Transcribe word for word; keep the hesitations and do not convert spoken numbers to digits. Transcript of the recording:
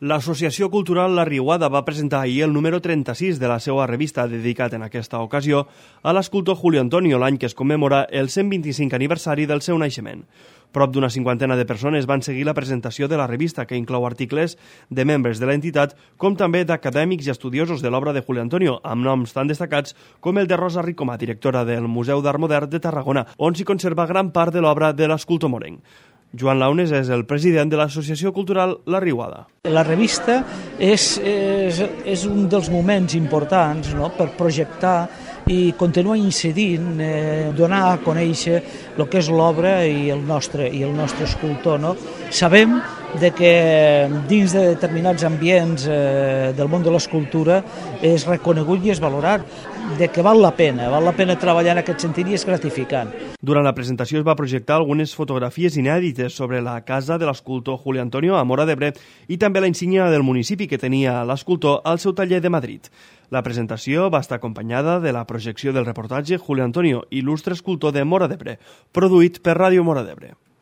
L'Associació Cultural La Riuada va presentar ahir el número trenta-sis de la seva revista dedicat en aquesta ocasió a l'escultor Julio Antonio, l'any que es commemora el cent vint-i-cinc aniversari del seu naixement. Prop d'una cinquantena de persones van seguir la presentació de la revista, que inclou articles de membres de l'entitat, com també d'acadèmics i estudiosos de l'obra de Julio Antonio, amb noms tan destacats com el de Rosa Ricomà, directora del Museu d'Art Modern de Tarragona, on s'hi conserva gran part de l'obra de l'escultor morenc. Joan Launes és el president de l'Associació Cultural La Riuada. La revista és, és, és un dels moments importants, no?, per projectar i continuar incidint, eh, donar a conèixer el que és l'obra i el nostre i el nostre escultor. No? Sabem de que dins de determinats ambients eh, del món de l'escultura és reconegut i és valorat, de que val la pena, val la pena treballar en aquest sentit i és gratificant. Durant la presentació es va projectar algunes fotografies inèdites sobre la casa de l'escultor Julio Antonio a Móra d'Ebre i també la insígnia del municipi que tenia l'escultor al seu taller de Madrid. La presentació va estar acompanyada de la projecció del reportatge Julio Antonio, il·lustre escultor de Móra d'Ebre, produït per Ràdio Móra d'Ebre.